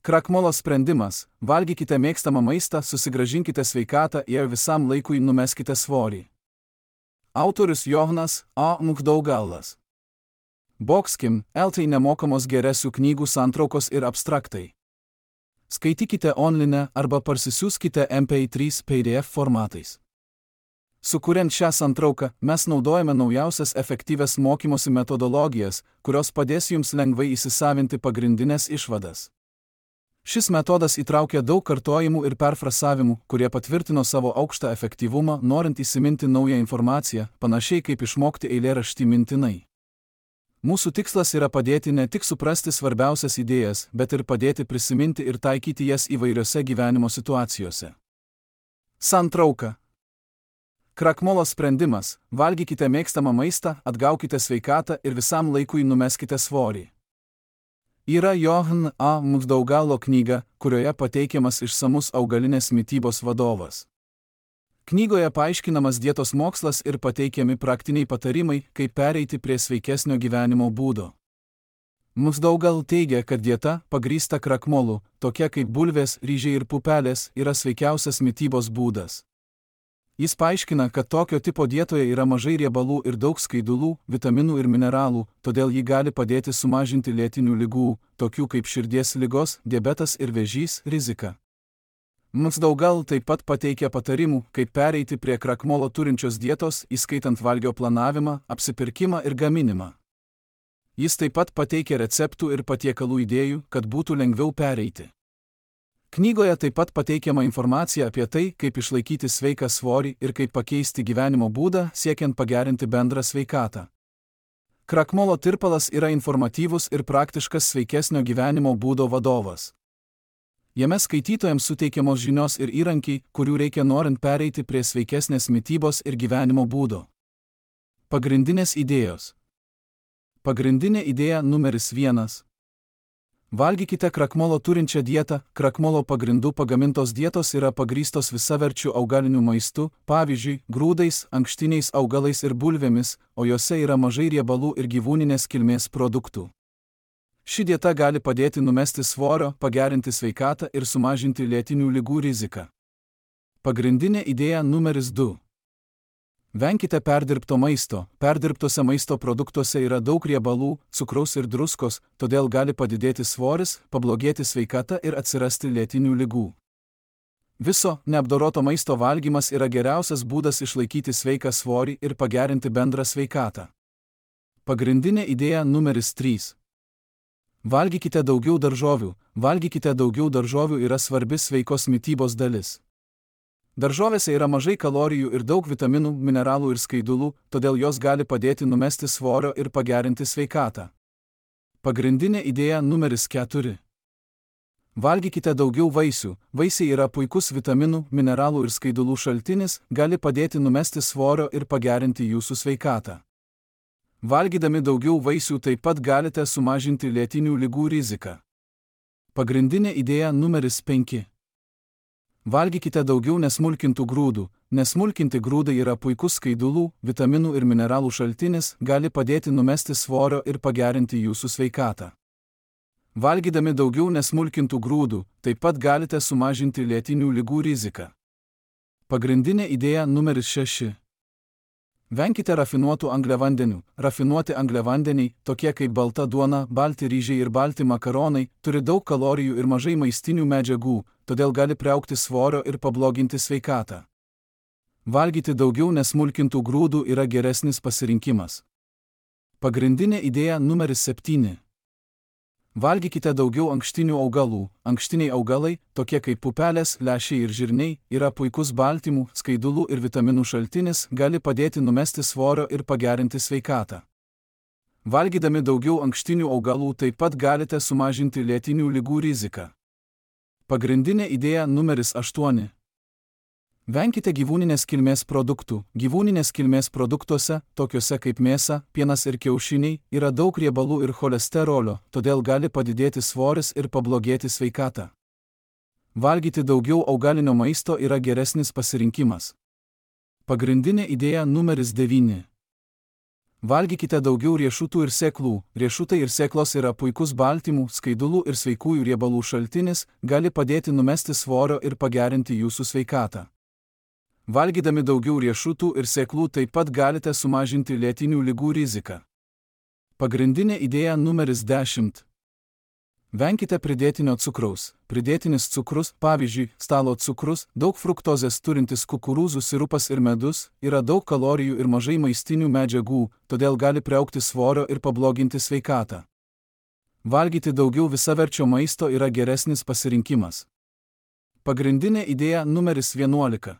Krakmolo sprendimas – valgykite mėgstamą maistą, susigrąžinkite sveikatą ir visam laikui numeskite svorį. Autorius Johanas A. Mukdaugalas. Boxkim, LT nemokamos geresių knygų santraukos ir abstraktai. Skaitykite online arba parsisiųskite MP3 PDF formatais. Sukuriant šią santrauką, mes naudojame naujausias efektyvias mokymosi metodologijas, kurios padės jums lengvai įsisavinti pagrindinės išvadas. Šis metodas įtraukia daug kartojimų ir perfrasavimų, kurie patvirtino savo aukštą efektyvumą, norint įsiminti naują informaciją, panašiai kaip išmokti eilėraštį mintinai. Mūsų tikslas yra padėti ne tik suprasti svarbiausias idėjas, bet ir padėti prisiminti ir taikyti jas įvairiose gyvenimo situacijose. Santrauka. Krakmolo sprendimas – valgykite mėgstamą maistą, atgaukite sveikatą ir visam laikui numeskite svorį. Yra Johan A. Mukdaugalo knyga, kurioje pateikiamas išsamus augalinės mitybos vadovas. Knygoje paaiškinamas dietos mokslas ir pateikiami praktiniai patarimai, kaip pereiti prie sveikesnio gyvenimo būdo. Mukdaugal teigia, kad dieta, pagrįsta krakmolu, tokia kaip bulvės, ryžiai ir pupelės, yra sveikiausias mitybos būdas. Jis paaiškina, kad tokio tipo dietoje yra mažai riebalų ir daug skaidulų, vitaminų ir mineralų, todėl ji gali padėti sumažinti lėtinių ligų, tokių kaip širdies ligos, diabetas ir vėžys, riziką. Mukdaugal taip pat pateikia patarimų, kaip pereiti prie krakmolo turinčios dietos, įskaitant valgio planavimą, apsipirkimą ir gaminimą. Jis taip pat pateikia receptų ir patiekalų idėjų, kad būtų lengviau pereiti. Knygoje taip pat pateikiama informacija apie tai, kaip išlaikyti sveiką svorį ir kaip pakeisti gyvenimo būdą, siekiant pagerinti bendrą sveikatą. Krakmolo tirpalas yra informatyvus ir praktiškas sveikesnio gyvenimo būdo vadovas. Jame skaitytojams suteikiamos žinios ir įrankiai, kurių reikia norint pereiti prie sveikesnės mitybos ir gyvenimo būdo. Pagrindinės idėjos. Pagrindinė idėja numeris 1. Valgykite krakmolo turinčią dietą. Krakmolo pagrindų pagamintos dietos yra pagrįstos visaverčių augaliniu maistu, pavyzdžiui, grūdais, ankštiniais augalais ir bulvėmis, o jose yra mažai riebalų ir gyvūninės kilmės produktų. Ši dieta gali padėti numesti svorio, pagerinti sveikatą ir sumažinti lėtinių ligų riziką. Pagrindinė idėja numeris 2. Venkite perdirbto maisto. Perdirbtose maisto produktuose yra daug riebalų, cukraus ir druskos, todėl gali padidėti svoris, pablogėti sveikata ir atsirasti lėtinių ligų. Viso neapdoroto maisto valgymas yra geriausias būdas išlaikyti sveiką svorį ir pagerinti bendrą sveikatą. Pagrindinė idėja numeris 3. Valgykite daugiau daržovių. Valgykite daugiau daržovių yra svarbi sveikos mitybos dalis. Daržovėse yra mažai kalorijų ir daug vitaminų, mineralų ir skaidulų, todėl jos gali padėti numesti svorio ir pagerinti sveikatą. Pagrindinė idėja numeris 4. Valgykite daugiau vaisių. Vaisiai yra puikus vitaminų, mineralų ir skaidulų šaltinis, gali padėti numesti svorio ir pagerinti jūsų sveikatą. Valgydami daugiau vaisių taip pat galite sumažinti lėtinių ligų riziką. Pagrindinė idėja numeris 5. Valgykite daugiau nesmulkintų grūdų. Nesmulkinti grūdai yra puikus skaidulų, vitaminų ir mineralų šaltinis, gali padėti numesti svorio ir pagerinti jūsų sveikatą. Valgydami daugiau nesmulkintų grūdų, taip pat galite sumažinti lėtinių ligų riziką. Pagrindinė idėja numeris 6. Venkite rafinuotų angliavandenių. Rafinuoti angliavandeniai, tokie kaip balta duona, balti ryžiai ir balti makaronai, turi daug kalorijų ir mažai maistinių medžiagų, todėl gali priaugti svorio ir pabloginti sveikatą. Valgyti daugiau nesmulkintų grūdų yra geresnis pasirinkimas. Pagrindinė idėja numeris 7. Valgykite daugiau ankštinių augalų. Ankštiniai augalai, tokie kaip pupelės, lęšiai ir žirniai, yra puikus baltymų, skaidulų ir vitaminų šaltinis, gali padėti numesti svorio ir pagerinti sveikatą. Valgydami daugiau ankštinių augalų taip pat galite sumažinti lėtinių ligų riziką. Pagrindinė idėja numeris 8. Venkite gyvūninės kilmės produktų. Gyvūninės kilmės produktuose, tokiuose kaip mėsa, pienas ir kiaušiniai, yra daug riebalų ir cholesterolio, todėl gali padidėti svoris ir pablogėti sveikata. Valgyti daugiau augalinio maisto yra geresnis pasirinkimas. Pagrindinė idėja numeris 9. Valgykite daugiau riešutų ir sėklų. Riešutai ir sėklos yra puikus baltymų, skaidulų ir sveikųjų riebalų šaltinis, gali padėti numesti svorio ir pagerinti jūsų sveikatą. Valgydami daugiau riešutų ir sėklų taip pat galite sumažinti lėtinių ligų riziką. Pagrindinė idėja numeris 10. Venkite pridėtinio cukraus. Pridėtinis cukrus, pavyzdžiui, stalo cukrus, daug fruktozės turintis kukurūzų sirupas ir medus, yra daug kalorijų ir mažai maistinių medžiagų, todėl gali priaugti svorio ir pabloginti sveikatą. Valgyti daugiau visaverčio maisto yra geresnis pasirinkimas. Pagrindinė idėja numeris 11.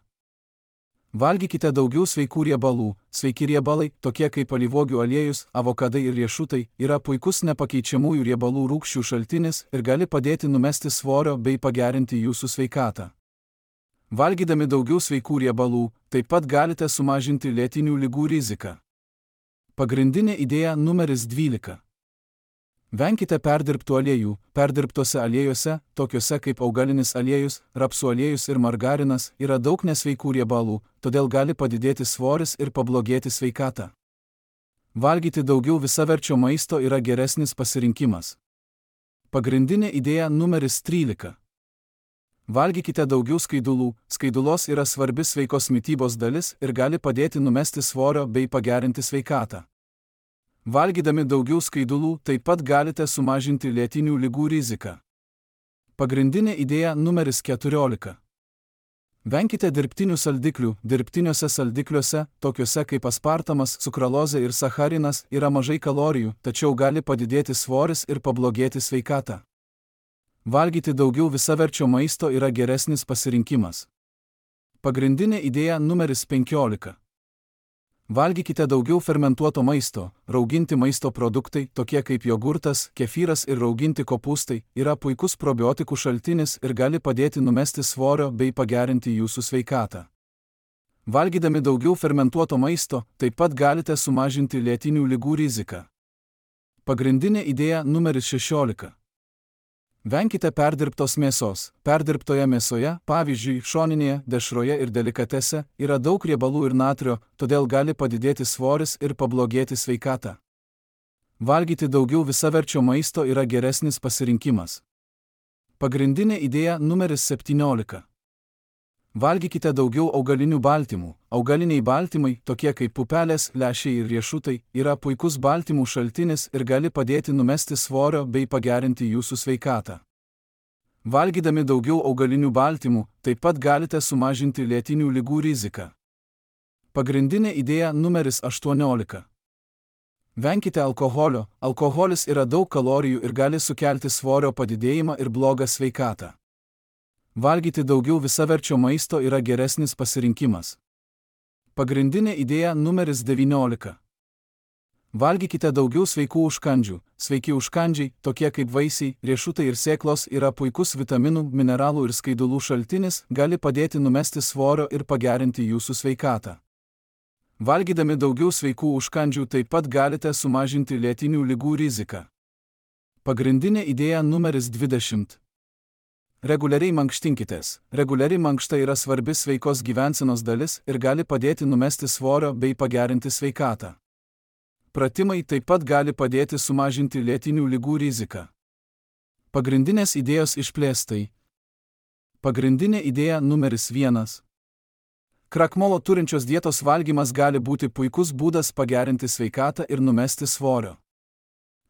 Valgykite daugiau sveikų riebalų. Sveiki riebalai, tokie kaip alyvuogių aliejus, avokadai ir riešutai, yra puikus nepakeičiamųjų riebalų rūgščių šaltinis ir gali padėti numesti svorio bei pagerinti jūsų sveikatą. Valgydami daugiau sveikų riebalų, taip pat galite sumažinti lėtinių ligų riziką. Pagrindinė idėja numeris 12. Venkite perdirbtų aliejų. Perdirbtose aliejuose, tokiuose kaip augalinis aliejus, rapsų aliejus ir margarinas, yra daug nesveikų riebalų, todėl gali padidėti svoris ir pablogėti sveikata. Valgyti daugiau visaverčio maisto yra geresnis pasirinkimas. Pagrindinė idėja numeris 13. Valgykite daugiau skaidulų. Skaidulos yra svarbi sveikos mitybos dalis ir gali padėti numesti svorio bei pagerinti sveikatą. Valgydami daugiau skaidulų taip pat galite sumažinti lėtinių ligų riziką. Pagrindinė idėja numeris 14. Venkite dirbtinių saldiklių. Dirbtiniuose saldikliuose, tokiuose kaip aspartamas, sukralozė ir sacharinas, yra mažai kalorijų, tačiau gali padidėti svoris ir pablogėti sveikatą. Valgyti daugiau visaverčio maisto yra geresnis pasirinkimas. Pagrindinė idėja numeris 15. Valgykite daugiau fermentuoto maisto. Rauginti maisto produktai, tokie kaip jogurtas, kefyras ir rauginti kopūstai, yra puikus probiotikų šaltinis ir gali padėti numesti svorio bei pagerinti jūsų sveikatą. Valgydami daugiau fermentuoto maisto, taip pat galite sumažinti lėtinių ligų riziką. Pagrindinė idėja numeris 16. Venkite perdirbtos mėsos. Perdirbtoje mėsoje, pavyzdžiui, šoninėje, dešroje ir delikatese, yra daug riebalų ir natrio, todėl gali padidėti svoris ir pablogėti sveikatą. Valgyti daugiau visaverčio maisto yra geresnis pasirinkimas. Pagrindinė idėja numeris 17. Valgykite daugiau augalinių baltymų. Augaliniai baltymai, tokie kaip pupelės, lęšiai ir riešutai, yra puikus baltymų šaltinis ir gali padėti numesti svorio bei pagerinti jūsų sveikatą. Valgydami daugiau augalinių baltymų, taip pat galite sumažinti lėtinių ligų riziką. Pagrindinė idėja numeris 18. Venkite alkoholio. Alkoholis yra daug kalorijų ir gali sukelti svorio padidėjimą ir blogą sveikatą. Valgyti daugiau visaverčio maisto yra geresnis pasirinkimas. Pagrindinė idėja numeris 19. Valgykite daugiau sveikų užkandžių. Sveiki užkandžiai, tokie kaip vaisiai, riešutai ir sėklos, yra puikus vitaminų, mineralų ir skaidulų šaltinis, gali padėti numesti svorio ir pagerinti jūsų sveikatą. Valgydami daugiau sveikų užkandžių taip pat galite sumažinti lėtinių ligų riziką. Pagrindinė idėja numeris 20. Reguliariai mankštinkitės. Reguliari mankšta yra svarbi sveikos gyvensenos dalis ir gali padėti numesti svorio bei pagerinti sveikatą. Pratimai taip pat gali padėti sumažinti lėtinių ligų riziką. Pagrindinės idėjos išplėstai. Pagrindinė idėja numeris 1. Krakmolo turinčios dietos valgymas gali būti puikus būdas pagerinti sveikatą ir numesti svorio.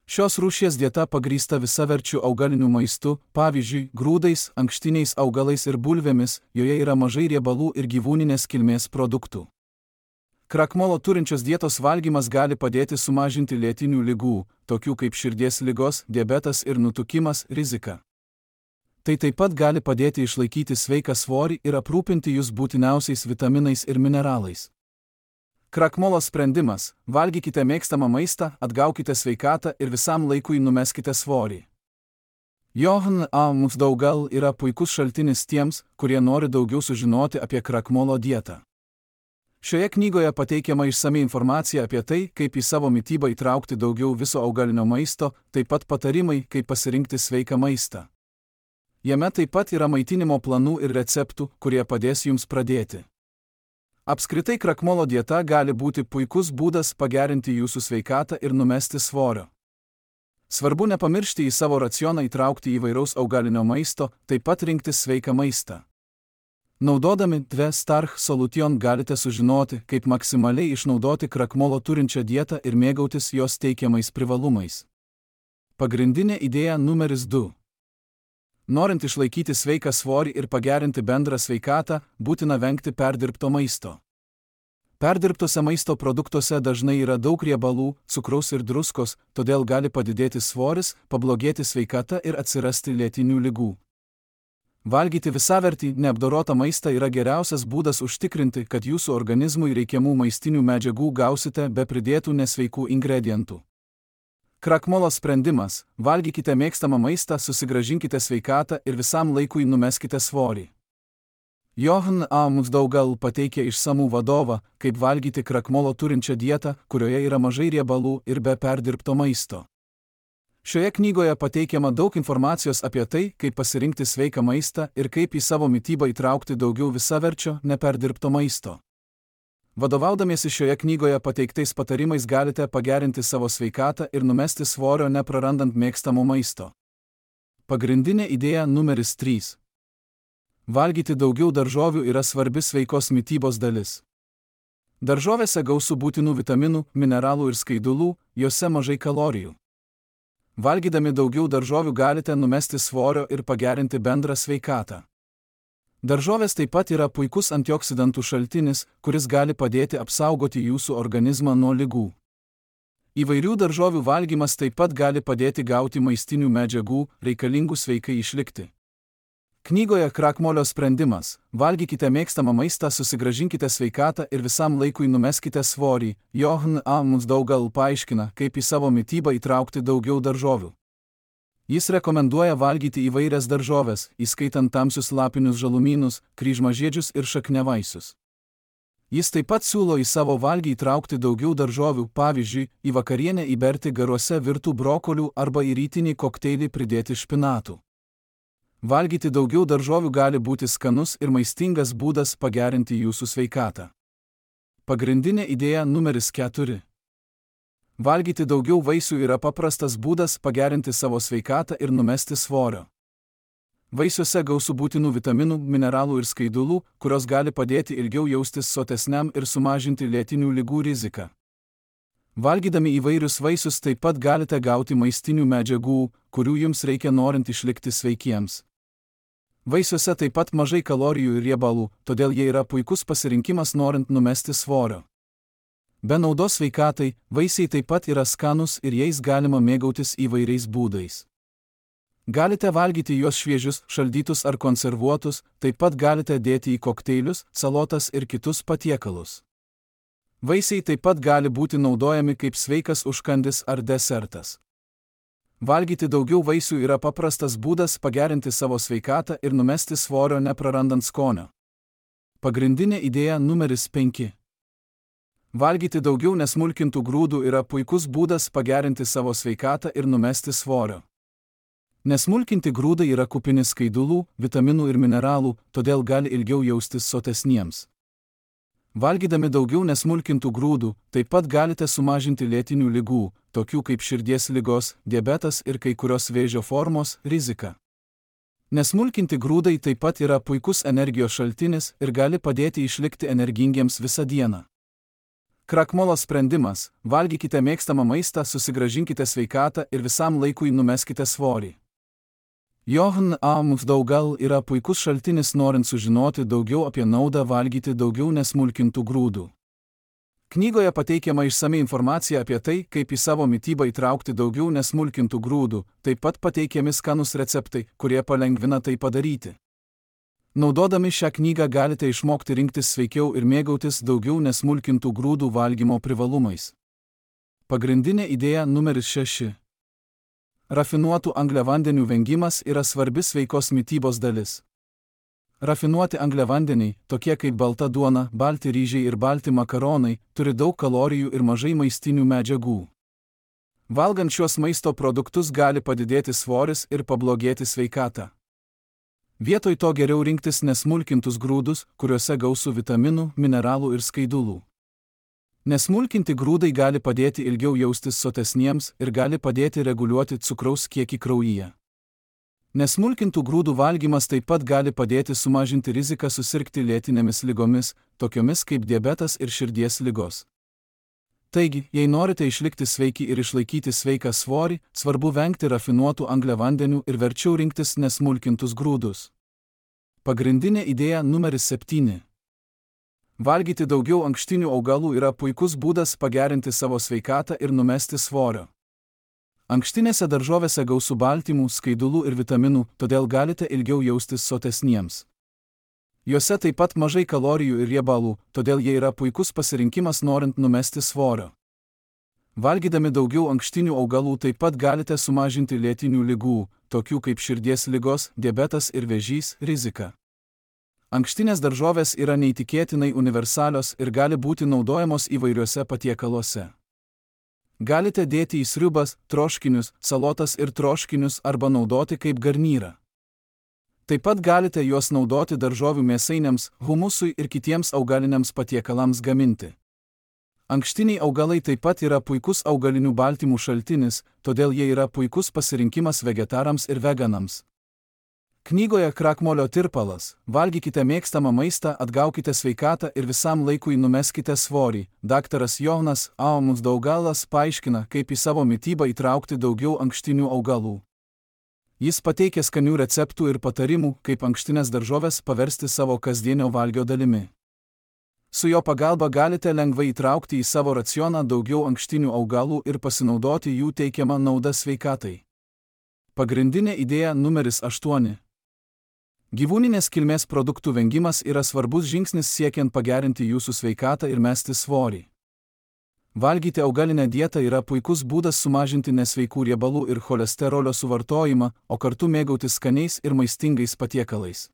Šios rūšies dieta pagrįsta visaverčiu augaliniu maistu, pavyzdžiui, grūdais, ankštiniais augalais ir bulvėmis, joje yra mažai riebalų ir gyvūninės kilmės produktų. Krakmolo turinčios dietos valgymas gali padėti sumažinti lėtinių ligų, tokių kaip širdies ligos, diabetas ir nutukimas, riziką. Tai taip pat gali padėti išlaikyti sveiką svorį ir aprūpinti jūs būtiniausiais vitaminais ir mineralais. Krakmolo sprendimas – valgykite mėgstamą maistą, atgaukite sveikatą ir visam laikui numeskite svorį. Johann A. Musdaugal yra puikus šaltinis tiems, kurie nori daugiau sužinoti apie krakmolo dietą. Šioje knygoje pateikiama išsami informacija apie tai, kaip į savo mitybą įtraukti daugiau viso augalinio maisto, taip pat patarimai, kaip pasirinkti sveiką maistą. Jame taip pat yra maitinimo planų ir receptų, kurie padės jums pradėti. Apskritai krakmolo dieta gali būti puikus būdas pagerinti jūsų sveikatą ir numesti svorio. Svarbu nepamiršti į savo racioną įtraukti įvairaus augalinio maisto, taip pat rinktis sveiką maistą. Naudodami 2 Starch Solution galite sužinoti, kaip maksimaliai išnaudoti krakmolo turinčią dietą ir mėgautis jos teikiamais privalumais. Pagrindinė idėja numeris 2. Norint išlaikyti sveiką svorį ir pagerinti bendrą sveikatą, būtina vengti perdirbto maisto. Perdirbtose maisto produktuose dažnai yra daug riebalų, cukraus ir druskos, todėl gali padidėti svoris, pablogėti sveikata ir atsirasti lėtinių ligų. Valgyti visavertį, neapdorotą maistą yra geriausias būdas užtikrinti, kad jūsų organizmui reikiamų maistinių medžiagų gausite be pridėtų nesveikų ingredientų. Krakmolo sprendimas – valgykite mėgstamą maistą, susigrąžinkite sveikatą ir visam laikui numeskite svorį. Johan A. Musdaugal pateikė išsamų vadovą, kaip valgyti krakmolo turinčią dietą, kurioje yra mažai riebalų ir be perdirbto maisto. Šioje knygoje pateikiama daug informacijos apie tai, kaip pasirinkti sveiką maistą ir kaip į savo mitybą įtraukti daugiau visaverčio, neperdirbto maisto. Vadovaudamiesi šioje knygoje pateiktais patarimais galite pagerinti savo sveikatą ir numesti svorio neprarandant mėgstamo maisto. Pagrindinė idėja numeris 3. Valgyti daugiau daržovių yra svarbi sveikos mitybos dalis. Daržovėse gausu būtinų vitaminų, mineralų ir skaidulų, jose mažai kalorijų. Valgydami daugiau daržovių galite numesti svorio ir pagerinti bendrą sveikatą. Daržovės taip pat yra puikus antioksidantų šaltinis, kuris gali padėti apsaugoti jūsų organizmą nuo ligų. Įvairių daržovių valgymas taip pat gali padėti gauti maistinių medžiagų, reikalingų sveikai išlikti. Knygoje Krakmolio sprendimas – valgykite mėgstamą maistą, susigrąžinkite sveikatą ir visam laikui numeskite svorį. Johan A. Musdaugal paaiškina, kaip į savo mitybą įtraukti daugiau daržovių. Jis rekomenduoja valgyti įvairias daržoves, įskaitant tamsius lapinius žalumynus, kryžmažiedžius ir šakniavaisius. Jis taip pat siūlo į savo valgį įtraukti daugiau daržovių, pavyzdžiui, į vakarienę įberti garuose virtų brokolių arba į rytinį kokteilį pridėti špinatų. Valgyti daugiau daržovių gali būti skanus ir maistingas būdas pagerinti jūsų sveikatą. Pagrindinė idėja numeris 4. Valgyti daugiau vaisių yra paprastas būdas pagerinti savo sveikatą ir numesti svorio. Vaisiuose gausu būtinų vitaminų, mineralų ir skaidulų, kurios gali padėti ilgiau jaustis sotesniam ir sumažinti lėtinių ligų riziką. Valgydami įvairius vaisius taip pat galite gauti maistinių medžiagų, kurių jums reikia norint išlikti sveikiems. Vaisiuose taip pat mažai kalorijų ir riebalų, todėl jie yra puikus pasirinkimas norint numesti svorio. Be naudos sveikatai, vaisiai taip pat yra skanus ir jais galima mėgautis įvairiais būdais. Galite valgyti juos šviežius, šaldytus ar konservuotus, taip pat galite dėti į kokteilius, salotas ir kitus patiekalus. Vaisiai taip pat gali būti naudojami kaip sveikas užkandis ar desertas. Valgyti daugiau vaisių yra paprastas būdas pagerinti savo sveikatą ir numesti svorio neprarandant skonio. Pagrindinė idėja numeris 5. Valgyti daugiau nesmulkintų grūdų yra puikus būdas pagerinti savo sveikatą ir numesti svorio. Nesmulkinti grūdai yra kupini skaidulų, vitaminų ir mineralų, todėl gali ilgiau jaustis sotesniems. Valgydami daugiau nesmulkintų grūdų, taip pat galite sumažinti lėtinių ligų, tokių kaip širdies ligos, diabetas ir kai kurios vėžio formos, riziką. Nesmulkinti grūdai taip pat yra puikus energijos šaltinis ir gali padėti išlikti energingiems visą dieną. Krakmolo sprendimas – valgykite mėgstamą maistą, susigrąžinkite sveikatą ir visam laikui numeskite svorį. Johan A. Musdaugal yra puikus šaltinis norint sužinoti daugiau apie naudą valgyti daugiau nesmulkintų grūdų. Knygoje pateikiama išsami informacija apie tai, kaip į savo mitybą įtraukti daugiau nesmulkintų grūdų, taip pat pateikiami skanūs receptai, kurie palengvina tai padaryti. Naudodami šią knygą galite išmokti rinktis sveikiau ir mėgautis daugiau nesmulkintų grūdų valgymo privalumais. Pagrindinė idėja numeris 6. Rafinuotų angliavandenių vengimas yra svarbi sveikos mitybos dalis. Rafinuoti angliavandeniai, tokie kaip balta duona, balti ryžiai ir balti makaronai, turi daug kalorijų ir mažai maistinių medžiagų. Valgant šiuos maisto produktus gali padidėti svoris ir pablogėti sveikata. Vietoj to geriau rinktis nesmulkintus grūdus, kuriuose gausu vitaminų, mineralų ir skaidulų. Nesmulkinti grūdai gali padėti ilgiau jaustis sotesniems ir gali padėti reguliuoti cukraus kiekį kraujyje. Nesmulkintų grūdų valgymas taip pat gali padėti sumažinti riziką susirgti lėtinėmis ligomis, tokiomis kaip diabetas ir širdies ligos. Taigi, jei norite išlikti sveiki ir išlaikyti sveiką svorį, svarbu vengti rafinuotų angliavandenių ir verčiau rinktis nesmulkintus grūdus. Pagrindinė idėja numeris 7. Valgyti daugiau ankštinių augalų yra puikus būdas pagerinti savo sveikatą ir numesti svorio. Ankštinėse daržovėse gausu baltymų, skaidulų ir vitaminų, todėl galite ilgiau jaustis sotesniems. Juose taip pat mažai kalorijų ir riebalų, todėl jie yra puikus pasirinkimas norint numesti svorio. Valgydami daugiau ankštinių augalų taip pat galite sumažinti lėtinių ligų, tokių kaip širdies ligos, diabetas ir vėžys, riziką. Ankštinės daržovės yra neįtikėtinai universalios ir gali būti naudojamos įvairiuose patiekaluose. Galite dėti į sriubas, troškinius, salotas ir troškinius arba naudoti kaip garnyrą. Taip pat galite juos naudoti daržovių mėsainiams, humusui ir kitiems augaliniams patiekalams gaminti. Ankštiniai augalai taip pat yra puikus augalinių baltymų šaltinis, todėl jie yra puikus pasirinkimas vegetarams ir veganams. Knygoje Krakmolio tirpalas Valgykite mėgstamą maistą, atgaukite sveikatą ir visam laikui numeskite svorį. Daktaras Johanas A. Muchdaugalas paaiškina, kaip į savo mitybą įtraukti daugiau ankštinių augalų. Jis pateikia skanių receptų ir patarimų, kaip ankštines daržoves paversti savo kasdienio valgio dalimi. Su jo pagalba galite lengvai įtraukti į savo racioną daugiau ankštinių augalų ir pasinaudoti jų teikiamą naudą sveikatai. Pagrindinė idėja numeris 8. Gyvūninės kilmės produktų vengimas yra svarbus žingsnis siekiant pagerinti jūsų sveikatą ir mesti svorį. Valgyti augalinę dietą yra puikus būdas sumažinti nesveikų riebalų ir cholesterolio suvartojimą, o kartu mėgautis skaniais ir maistingais patiekalais.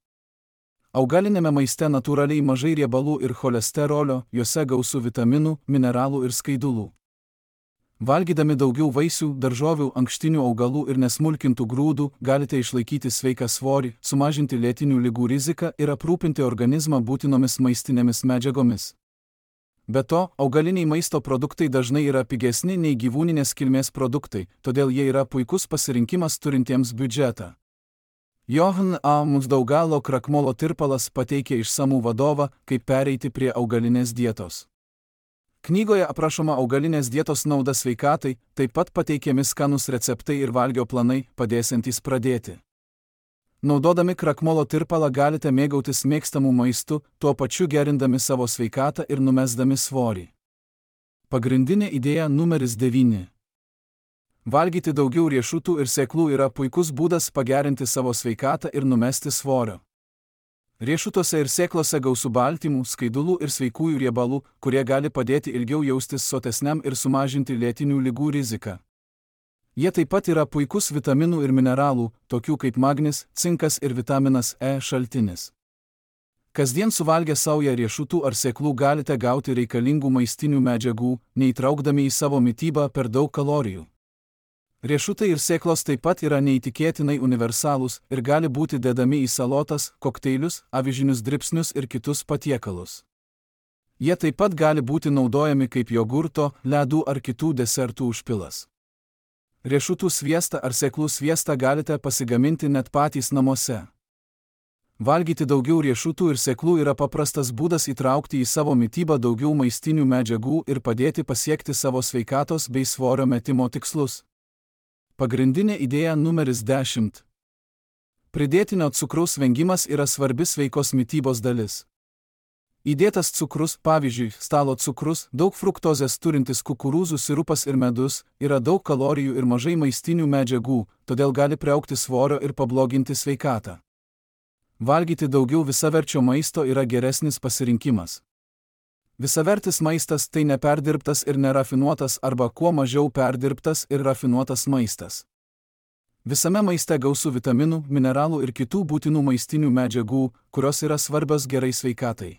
Augalinėme maiste natūraliai mažai riebalų ir cholesterolio, juose gausu vitaminų, mineralų ir skaidulų. Valgydami daugiau vaisių, daržovių, ankštinių augalų ir nesmulkintų grūdų, galite išlaikyti sveiką svorį, sumažinti lėtinių ligų riziką ir aprūpinti organizmą būtinomis maistinėmis medžiagomis. Be to, augaliniai maisto produktai dažnai yra pigesni nei gyvūninės kilmės produktai, todėl jie yra puikus pasirinkimas turintiems biudžetą. Johan A. Mucdaugalo Krakmolo tirpalas pateikia išsamų vadovą, kaip pereiti prie augalinės dietos. Knygoje aprašoma augalinės dietos nauda sveikatai, taip pat pateikiami skanūs receptai ir valgio planai, padėsiantys pradėti. Naudodami krakmolo tirpalą galite mėgautis mėgstamų maistų, tuo pačiu gerindami savo sveikatą ir numesdami svorį. Pagrindinė idėja numeris 9. Valgyti daugiau riešutų ir sėklų yra puikus būdas pagerinti savo sveikatą ir numesti svorio. Riešutuose ir sėklose gausu baltymų, skaidulų ir sveikųjų riebalų, kurie gali padėti ilgiau jaustis sotesniam ir sumažinti lėtinių ligų riziką. Jie taip pat yra puikus vitaminų ir mineralų, tokių kaip magnis, cinkas ir vitaminas E šaltinis. Kasdien suvalgę saują riešutų ar sėklų galite gauti reikalingų maistinių medžiagų, neįtraukdami į savo mitybą per daug kalorijų. Riešutai ir sėklos taip pat yra neįtikėtinai universalūs ir gali būti dedami į salotas, kokteilius, avižinius dribsnius ir kitus patiekalus. Jie taip pat gali būti naudojami kaip jogurto, ledų ar kitų desertų užpilas. Riešutų sviestą ar sėklų sviestą galite pasigaminti net patys namuose. Valgyti daugiau riešutų ir sėklų yra paprastas būdas įtraukti į savo mitybą daugiau maistinių medžiagų ir padėti pasiekti savo sveikatos bei svorio metimo tikslus. Pagrindinė idėja numeris 10. Pridėtinio cukraus vengimas yra svarbi sveikos mitybos dalis. Įdėtas cukrus, pavyzdžiui, stalo cukrus, daug fruktozės turintis kukurūzų sirupas ir medus, yra daug kalorijų ir mažai maistinių medžiagų, todėl gali priaugti svorio ir pabloginti sveikatą. Valgyti daugiau visaverčio maisto yra geresnis pasirinkimas. Visavertis maistas tai neperdirbtas ir nerafinuotas arba kuo mažiau perdirbtas ir rafinuotas maistas. Visame maiste gausu vitaminų, mineralų ir kitų būtinų maistinių medžiagų, kurios yra svarbios gerai sveikatai.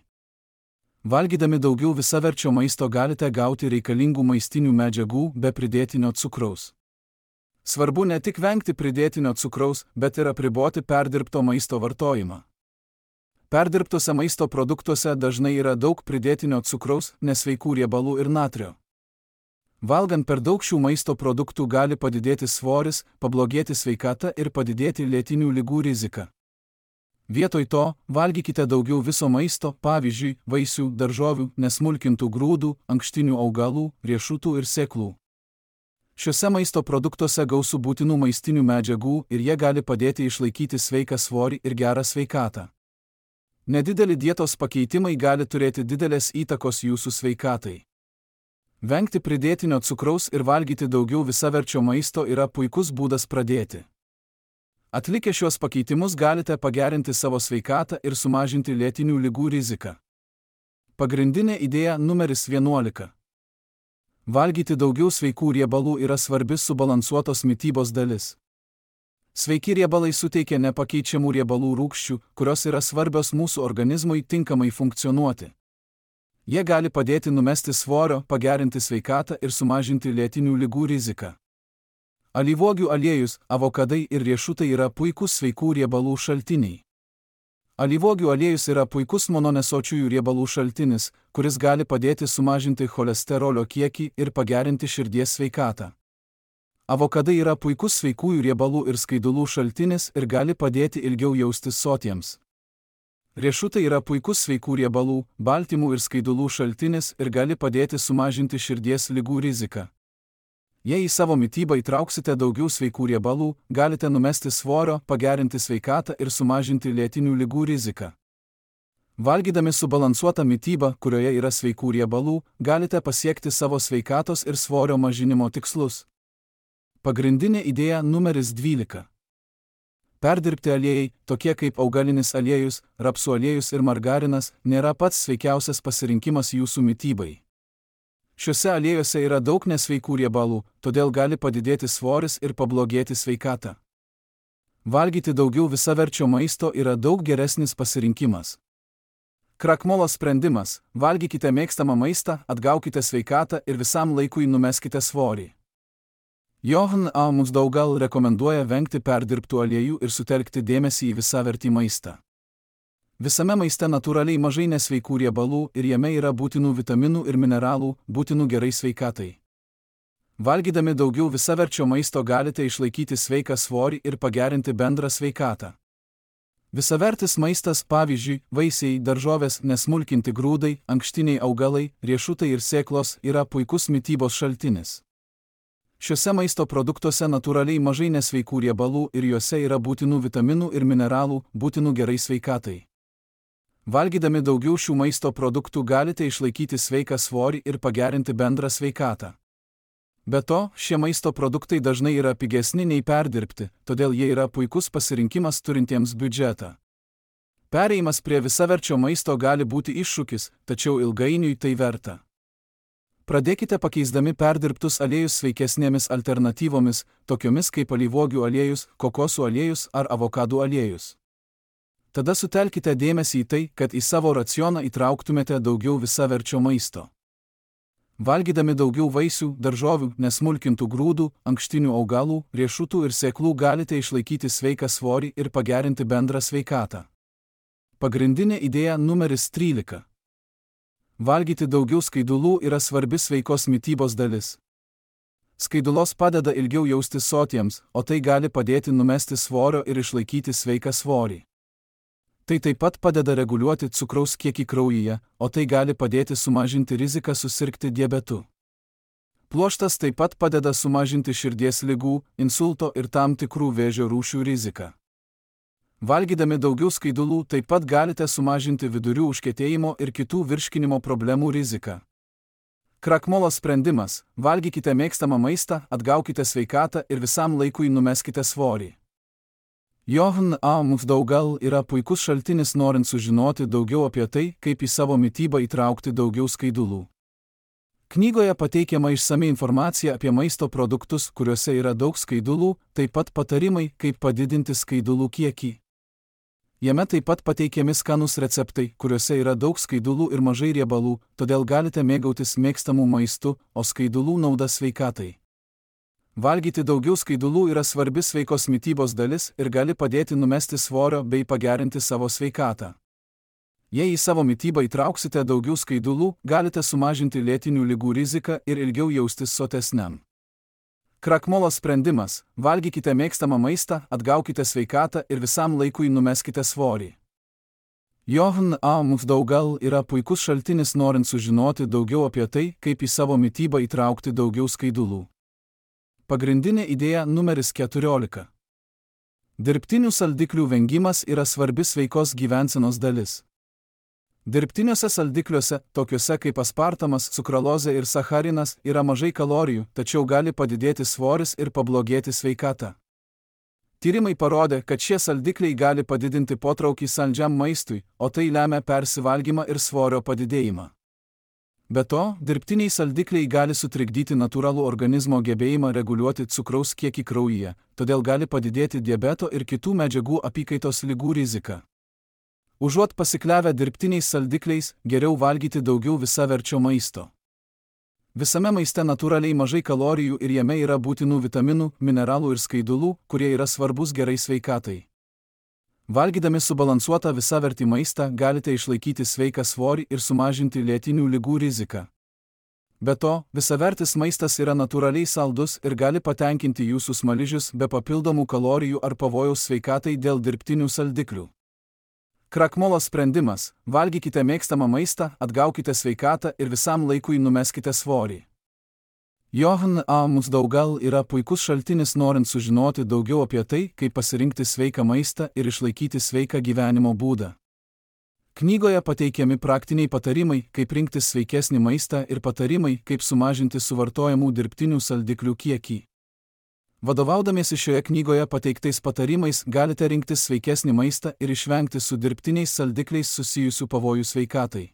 Valgydami daugiau visaverčio maisto galite gauti reikalingų maistinių medžiagų be pridėtinio cukraus. Svarbu ne tik vengti pridėtinio cukraus, bet ir apriboti perdirbto maisto vartojimą. Perdirbtuose maisto produktuose dažnai yra daug pridėtinio cukraus, nesveikų riebalų ir natrio. Valgant per daug šių maisto produktų gali padidėti svoris, pablogėti sveikata ir padidėti lėtinių ligų rizika. Vietoj to, valgykite daugiau viso maisto, pavyzdžiui, vaisių, daržovių, nesmulkintų grūdų, ankštinių augalų, riešutų ir sėklų. Šiuose maisto produktuose gausu būtinų maistinių medžiagų ir jie gali padėti išlaikyti sveiką svorį ir gerą sveikatą. Nedideli dietos pakeitimai gali turėti didelės įtakos jūsų sveikatai. Vengti pridėtinio cukraus ir valgyti daugiau visaverčio maisto yra puikus būdas pradėti. Atlikę šios pakeitimus galite pagerinti savo sveikatą ir sumažinti lėtinių ligų riziką. Pagrindinė idėja numeris 11. Valgyti daugiau sveikų riebalų yra svarbi subalansuotos mitybos dalis. Sveiki riebalai suteikia nepakeičiamų riebalų rūgščių, kurios yra svarbios mūsų organizmui tinkamai funkcionuoti. Jie gali padėti numesti svorio, pagerinti sveikatą ir sumažinti lėtinių ligų riziką. Alyvuogių aliejus, avokadai ir riešutai yra puikūs sveikų riebalų šaltiniai. Alyvuogių aliejus yra puikus mononesočiųjų riebalų šaltinis, kuris gali padėti sumažinti cholesterolio kiekį ir pagerinti širdies sveikatą. Avokadai yra puikus sveikųjų riebalų ir skaidulų šaltinis ir gali padėti ilgiau jaustis sotiems. Riešutai yra puikus sveikų riebalų, baltymų ir skaidulų šaltinis ir gali padėti sumažinti širdies ligų riziką. Jei į savo mitybą įtrauksite daugiau sveikų riebalų, galite numesti svorio, pagerinti sveikatą ir sumažinti lėtinių ligų riziką. Valgydami subalansuotą mitybą, kurioje yra sveikų riebalų, galite pasiekti savo sveikatos ir svorio mažinimo tikslus. Pagrindinė idėja numeris 12. Perdirbti aliejai, tokie kaip augalinis aliejus, rapsų aliejus ir margarinas, nėra pats sveikiausias pasirinkimas jūsų mitybai. Šiuose aliejuose yra daug nesveikų riebalų, todėl gali padidėti svoris ir pablogėti sveikata. Valgyti daugiau visaverčio maisto yra daug geresnis pasirinkimas. Krakmolo sprendimas – valgykite mėgstamą maistą, atgaukite sveikatą ir visam laikui numeskite svorį. Johan A. Musdaugal rekomenduoja vengti perdirbtų aliejų ir sutelkti dėmesį į visavertį maistą. Visame maiste natūraliai mažai nesveikų riebalų ir jame yra būtinų vitaminų ir mineralų, būtinų gerai sveikatai. Valgydami daugiau visaverčio maisto galite išlaikyti sveiką svorį ir pagerinti bendrą sveikatą. Visavertis maistas, pavyzdžiui, vaisiai, daržovės, nesmulkinti grūdai, ankštiniai augalai, riešutai ir sėklos yra puikus mitybos šaltinis. Šiuose maisto produktuose natūraliai mažai nesveikų riebalų ir juose yra būtinų vitaminų ir mineralų, būtinų gerai sveikatai. Valgydami daugiau šių maisto produktų galite išlaikyti sveiką svorį ir pagerinti bendrą sveikatą. Be to, šie maisto produktai dažnai yra pigesni nei perdirbti, todėl jie yra puikus pasirinkimas turintiems biudžetą. Perėjimas prie visaverčio maisto gali būti iššūkis, tačiau ilgainiui tai verta. Pradėkite pakeisdami perdirbtus aliejus sveikesnėmis alternatyvomis, tokiomis kaip alyvuogių aliejus, kokosų aliejus ar avokadų aliejus. Tada sutelkite dėmesį į tai, kad į savo racioną įtrauktumėte daugiau visaverčio maisto. Valgydami daugiau vaisių, daržovių, nesmulkintų grūdų, ankštinių augalų, riešutų ir sėklų galite išlaikyti sveiką svorį ir pagerinti bendrą sveikatą. Pagrindinė idėja numeris 13. Valgyti daugiau skaidulų yra svarbi sveikos mitybos dalis. Skaidulos padeda ilgiau jaustis sotiems, o tai gali padėti numesti svorio ir išlaikyti sveiką svorį. Tai taip pat padeda reguliuoti cukraus kiekį kraujyje, o tai gali padėti sumažinti riziką susirgti diabetu. Pluoštas taip pat padeda sumažinti širdies ligų, insulto ir tam tikrų vėžio rūšių riziką. Valgydami daugiau skaidulų taip pat galite sumažinti vidurių užkietėjimo ir kitų virškinimo problemų riziką. Krakmolo sprendimas – valgykite mėgstamą maistą, atgaukite sveikatą ir visam laikui numeskite svorį. Johan A. Musdaugal yra puikus šaltinis norint sužinoti daugiau apie tai, kaip į savo mitybą įtraukti daugiau skaidulų. Knygoje pateikiama išsami informacija apie maisto produktus, kuriuose yra daug skaidulų, taip pat patarimai, kaip padidinti skaidulų kiekį. Jame taip pat pateikiami skanūs receptai, kuriuose yra daug skaidulų ir mažai riebalų, todėl galite mėgautis mėgstamų maistu, o skaidulų nauda sveikatai. Valgyti daugiau skaidulų yra svarbi sveikos mitybos dalis ir gali padėti numesti svorio bei pagerinti savo sveikatą. Jei į savo mitybą įtrauksite daugiau skaidulų, galite sumažinti lėtinių ligų riziką ir ilgiau jaustis sotesniam. Krakmolo sprendimas – valgykite mėgstamą maistą, atgaukite sveikatą ir visam laikui numeskite svorį. Johan A. Mukdaugal yra puikus šaltinis norint sužinoti daugiau apie tai, kaip į savo mitybą įtraukti daugiau skaidulų. Pagrindinė idėja numeris 14. Dirbtinių saldiklių vengimas yra svarbi sveikos gyvensenos dalis. Dirbtiniuose saldikliuose, tokiuose kaip aspartamas, cukralozė ir sacharinas, yra mažai kalorijų, tačiau gali padidėti svoris ir pablogėti sveikata. Tyrimai parodė, kad šie saldikliai gali padidinti potraukį saldžiam maistui, o tai lemia persivalgymą ir svorio padidėjimą. Be to, dirbtiniai saldikliai gali sutrikdyti natūralų organizmo gebėjimą reguliuoti cukraus kiekį kraujyje, todėl gali padidėti diabeto ir kitų medžiagų apykaitos ligų riziką. Užuot pasikliavę dirbtiniais saldikliais, geriau valgyti daugiau visaverčio maisto. Visame maiste natūraliai mažai kalorijų ir jame yra būtinų vitaminų, mineralų ir skaidulų, kurie yra svarbus gerai sveikatai. Valgydami subalansuotą visavertį maistą galite išlaikyti sveiką svorį ir sumažinti lėtinių ligų riziką. Be to, visavertis maistas yra natūraliai saldus ir gali patenkinti jūsų smaližius be papildomų kalorijų ar pavojaus sveikatai dėl dirbtinių saldiklių. Krakmolo sprendimas – valgykite mėgstamą maistą, atgaukite sveikatą ir visam laikui numeskite svorį. Johan A. Mukdaugal yra puikus šaltinis norint sužinoti daugiau apie tai, kaip pasirinkti sveiką maistą ir išlaikyti sveiką gyvenimo būdą. Knygoje pateikiami praktiniai patarimai, kaip rinktis sveikesnį maistą ir patarimai, kaip sumažinti suvartojamų dirbtinių saldiklių kiekį. Vadovaudamiesi šioje knygoje pateiktais patarimais galite rinktis sveikesnį maistą ir išvengti su dirbtiniais saldikliais susijusių pavojų sveikatai.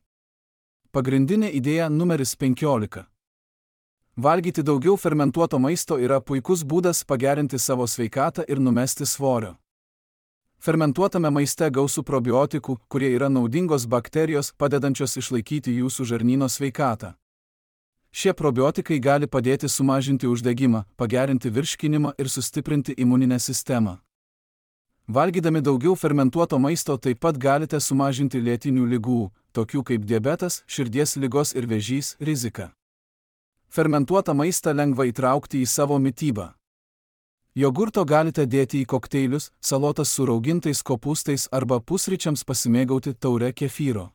Pagrindinė idėja numeris 15. Valgyti daugiau fermentuoto maisto yra puikus būdas pagerinti savo sveikatą ir numesti svorio. Fermentuotame maiste gausu probiotikų, kurie yra naudingos bakterijos, padedančios išlaikyti jūsų žarnyno sveikatą. Šie probiotikai gali padėti sumažinti uždegimą, pagerinti virškinimą ir sustiprinti imuninę sistemą. Valgydami daugiau fermentuoto maisto taip pat galite sumažinti lėtinių ligų, tokių kaip diabetas, širdies ligos ir vėžys, riziką. Fermentuotą maistą lengva įtraukti į savo mitybą. Jogurto galite dėti į kokteilius, salotas su raugintais kopūstais arba pusryčiams pasimėgauti taure kefyro.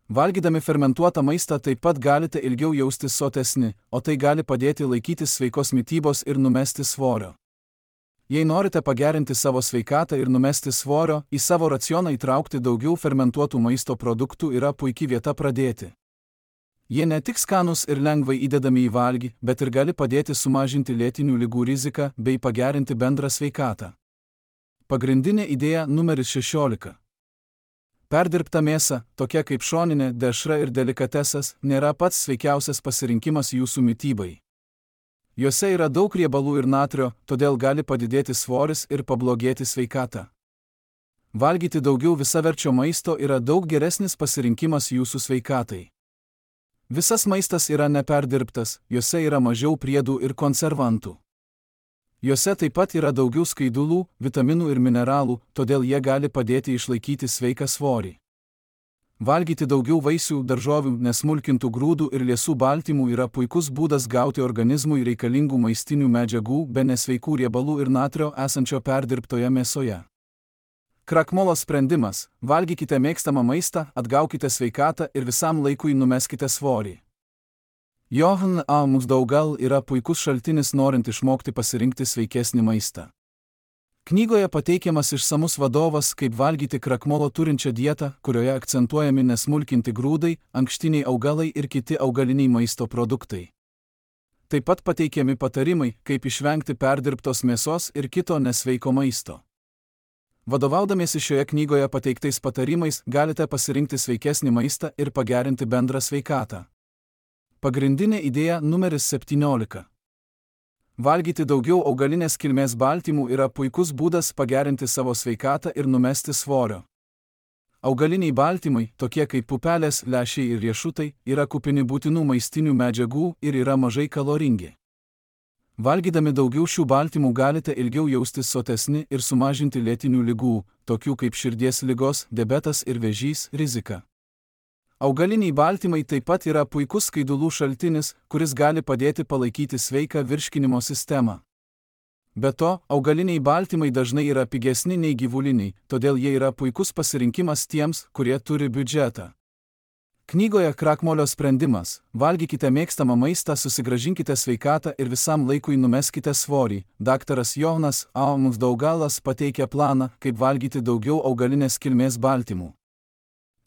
Valgydami fermentuotą maistą taip pat galite ilgiau jaustis sotesni, o tai gali padėti laikytis sveikos mitybos ir numesti svorio. Jei norite pagerinti savo sveikatą ir numesti svorio, į savo racioną įtraukti daugiau fermentuotų maisto produktų yra puikia vieta pradėti. Jie ne tik skanūs ir lengvai įdedami į valgį, bet ir gali padėti sumažinti lėtinių ligų riziką bei pagerinti bendrą sveikatą. Pagrindinė idėja numeris 16. Perdirbta mėsa, tokia kaip šoninė, dešra ir delikatesas, nėra pats sveikiausias pasirinkimas jūsų mitybai. Juose yra daug riebalų ir natrio, todėl gali padidėti svoris ir pablogėti sveikata. Valgyti daugiau visaverčio maisto yra daug geresnis pasirinkimas jūsų sveikatai. Visas maistas yra neperdirbtas, juose yra mažiau priedų ir konservantų. Juose taip pat yra daugiau skaidulų, vitaminų ir mineralų, todėl jie gali padėti išlaikyti sveiką svorį. Valgyti daugiau vaisių, daržovių, nesmulkintų grūdų ir liesų baltymų yra puikus būdas gauti organizmui reikalingų maistinių medžiagų be nesveikų riebalų ir natrio esančio perdirbtoje mėsoje. Krakmolo sprendimas – valgykite mėgstamą maistą, atgaukite sveikatą ir visam laikui numeskite svorį. Johan A. Mukdaugal yra puikus šaltinis norint išmokti pasirinkti sveikesnį maistą. Knygoje pateikiamas išsamus vadovas, kaip valgyti krakmolo turinčią dietą, kurioje akcentuojami nesmulkinti grūdai, ankštiniai augalai ir kiti augaliniai maisto produktai. Taip pat pateikiami patarimai, kaip išvengti perdirbtos mėsos ir kito nesveiko maisto. Vadovaudamiesi šioje knygoje pateiktais patarimais galite pasirinkti sveikesnį maistą ir pagerinti bendrą sveikatą. Pagrindinė idėja numeris 17. Valgyti daugiau augalinės kilmės baltymų yra puikus būdas pagerinti savo sveikatą ir numesti svorio. Augaliniai baltymai, tokie kaip pupelės, lęšiai ir riešutai, yra kupini būtinų maistinių medžiagų ir yra mažai kaloringi. Valgydami daugiau šių baltymų galite ilgiau jaustis sotesni ir sumažinti lėtinių ligų, tokių kaip širdies ligos, diabetas ir vėžys, riziką. Augaliniai baltymai taip pat yra puikus skaidulų šaltinis, kuris gali padėti palaikyti sveiką virškinimo sistemą. Be to, augaliniai baltymai dažnai yra pigesni nei gyvuliniai, todėl jie yra puikus pasirinkimas tiems, kurie turi biudžetą. Knygoje Krakmolio sprendimas – valgykite mėgstamą maistą, susigrąžinkite sveikatą ir visam laikui numeskite svorį. Daktaras Johanas A. Nuchdaugalas pateikia planą, kaip valgyti daugiau augalinės kilmės baltymų.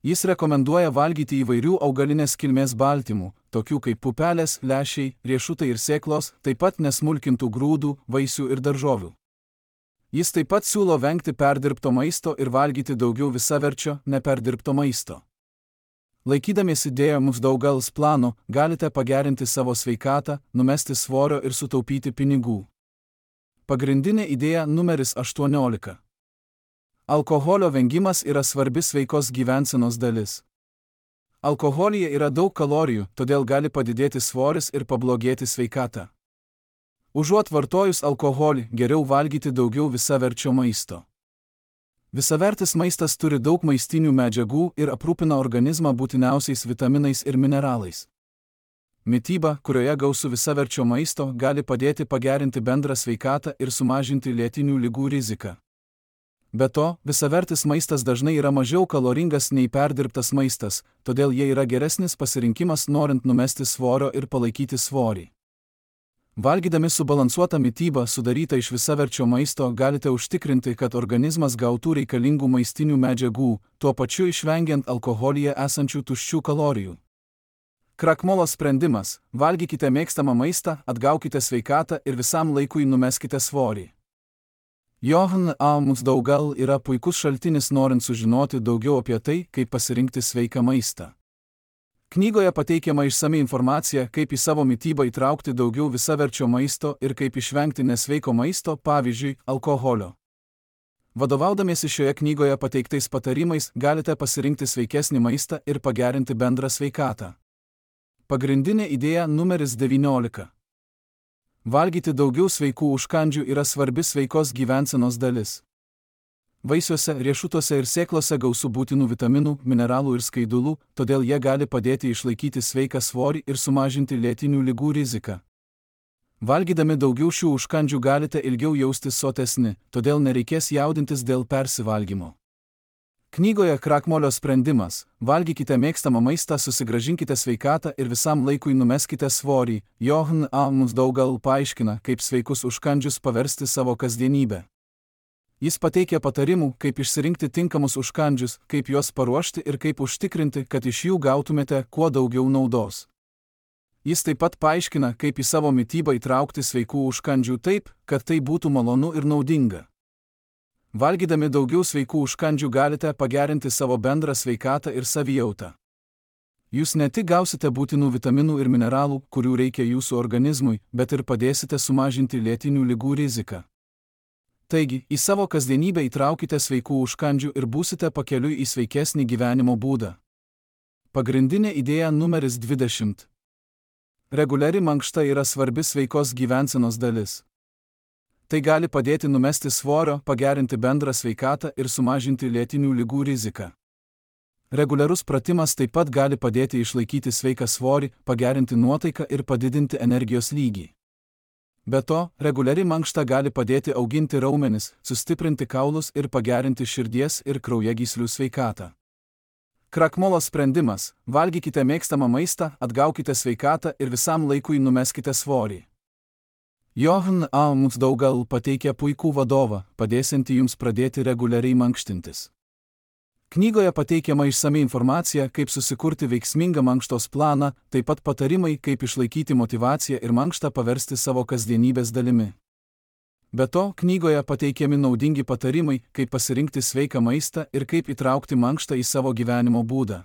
Jis rekomenduoja valgyti įvairių augalinės kilmės baltymų, tokių kaip pupelės, lęšiai, riešutai ir sėklos, taip pat nesmulkintų grūdų, vaisių ir daržovių. Jis taip pat siūlo vengti perdirbto maisto ir valgyti daugiau visaverčio, neperdirbto maisto. Laikydamiesi dėjo Nuchdaugalas plano, galite pagerinti savo sveikatą, numesti svorio ir sutaupyti pinigų. Pagrindinė idėja numeris 18. Alkoholio vengimas yra svarbi sveikos gyvensenos dalis. Alkoholyje yra daug kalorijų, todėl gali padidėti svoris ir pablogėti sveikata. Užuot vartojus alkoholį, geriau valgyti daugiau visaverčio maisto. Visavertis maistas turi daug maistinių medžiagų ir aprūpina organizmą būtiniausiais vitaminais ir mineralais. Mityba, kurioje gausu visaverčio maisto, gali padėti pagerinti bendrą sveikatą ir sumažinti lėtinių ligų riziką. Be to, visavertis maistas dažnai yra mažiau kaloringas nei perdirbtas maistas, todėl jie yra geresnis pasirinkimas norint numesti svorio ir palaikyti svorį. Valgydami subalansuotą mitybą sudarytą iš visaverčio maisto galite užtikrinti, kad organizmas gautų reikalingų maistinių medžiagų, tuo pačiu išvengiant alkoholyje esančių tuščių kalorijų. Krakmolo sprendimas – valgykite mėgstamą maistą, atgaukite sveikatą ir visam laikui numeskite svorį. Johanas A. Nuchdaugalas yra puikus šaltinis norint sužinoti daugiau apie tai, kaip pasirinkti sveiką maistą. Knygoje pateikiama išsami informacija, kaip į savo mitybą įtraukti daugiau visaverčio maisto ir kaip išvengti nesveiko maisto, pavyzdžiui, alkoholio. Vadovaudamiesi šioje knygoje pateiktais patarimais, galite pasirinkti sveikesnį maistą ir pagerinti bendrą sveikatą. Pagrindinė idėja numeris 19. Valgyti daugiau sveikų užkandžių yra svarbi sveikos gyvensenos dalis. Vaisiuose, riešutuose ir sėklose gausu būtinų vitaminų, mineralų ir skaidulų, todėl jie gali padėti išlaikyti sveiką svorį ir sumažinti lėtinių ligų riziką. Valgydami daugiau šių užkandžių galite ilgiau jaustis sotesni, todėl nereikės jaudintis dėl persivalgymo. Knygoje Krakmolio sprendimas – valgykite mėgstamą maistą, susigrąžinkite sveikatą ir visam laikui numeskite svorį. Johanas A. Nuchdaugalas paaiškina, kaip sveikus užkandžius paversti savo kasdienybę. Jis pateikia patarimų, kaip išsirinkti tinkamus užkandžius, kaip juos paruošti ir kaip užtikrinti, kad iš jų gautumėte kuo daugiau naudos. Jis taip pat paaiškina, kaip į savo mitybą įtraukti sveikų užkandžių taip, kad tai būtų malonu ir naudinga. Valgydami daugiau sveikų užkandžių galite pagerinti savo bendrą sveikatą ir savijautą. Jūs ne tik gausite būtinų vitaminų ir mineralų, kurių reikia jūsų organizmui, bet ir padėsite sumažinti lėtinių ligų riziką. Taigi, į savo kasdienybę įtraukite sveikų užkandžių ir būsite pakeliui į sveikesnį gyvenimo būdą. Pagrindinė idėja numeris 20. Reguliari mankšta yra svarbi sveikos gyvensenos dalis. Tai gali padėti numesti svorio, pagerinti bendrą sveikatą ir sumažinti lėtinių ligų riziką. Reguliarus pratimas taip pat gali padėti išlaikyti sveiką svorį, pagerinti nuotaiką ir padidinti energijos lygį. Be to, reguliari mankšta gali padėti auginti raumenis, sustiprinti kaulus ir pagerinti širdies ir kraujagyslių sveikatą. Krakmolo sprendimas – valgykite mėgstamą maistą, atgaukite sveikatą ir visam laikui numeskite svorį. Johanas A. Nuchdaugalas pateikia puikų vadovą, padėsiantį jums pradėti reguliariai mankštintis. Knygoje pateikiama išsami informacija, kaip susikurti veiksmingą mankštos planą, taip pat patarimai, kaip išlaikyti motyvaciją ir mankštą paversti savo kasdienybės dalimi. Be to, knygoje pateikiami naudingi patarimai, kaip pasirinkti sveiką maistą ir kaip įtraukti mankštą į savo gyvenimo būdą.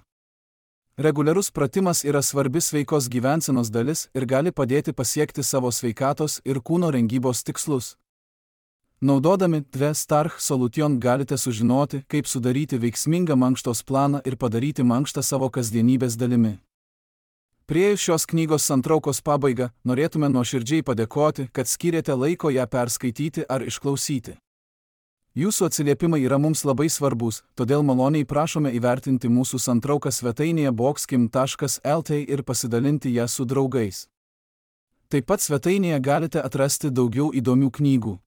Reguliarus pratimas yra svarbi sveikos gyvensenos dalis ir gali padėti pasiekti savo sveikatos ir kūno rengybos tikslus. Naudodami Starch Solution galite sužinoti, kaip sudaryti veiksmingą mankštos planą ir padaryti mankštą savo kasdienybės dalimi. Priėjus šios knygos santraukos pabaigą, norėtume nuoširdžiai padėkoti, kad skyrėte laiko ją perskaityti ar išklausyti. Jūsų atsiliepimai yra mums labai svarbus, todėl maloniai prašome įvertinti mūsų santrauką svetainėje boxkim.lt ir pasidalinti ją su draugais. Taip pat svetainėje galite atrasti daugiau įdomių knygų.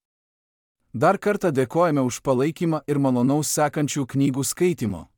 Dar kartą dėkojame už palaikymą ir malonaus sekančių knygų skaitymo.